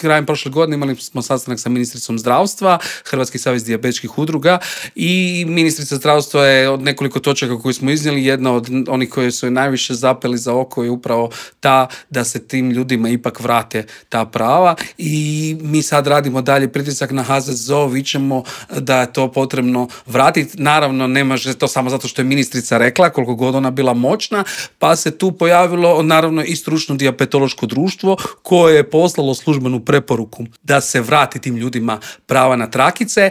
krajem prošle godine imali smo sastanak sa ministricom zdravstva, Hrvatski savez dijabetičkih udruga i ministrica zdravstva je od nekoliko točaka koje smo iznijeli, jedna od onih koje su je najviše zapeli za oko je upravo ta da se tim ljudima ipak vrate ta prava i mi sad radimo dalje pritisak na HZZO, vičemo da je to potrebno vratiti. Naravno, ne može to samo zato što je ministrica rekla, koliko god ona bila moćna, pa se tu pojavilo naravno i stručno dijabetološko društvo koje je poslalo službenu preporuku da se vrati tim ljudima prava na trakice,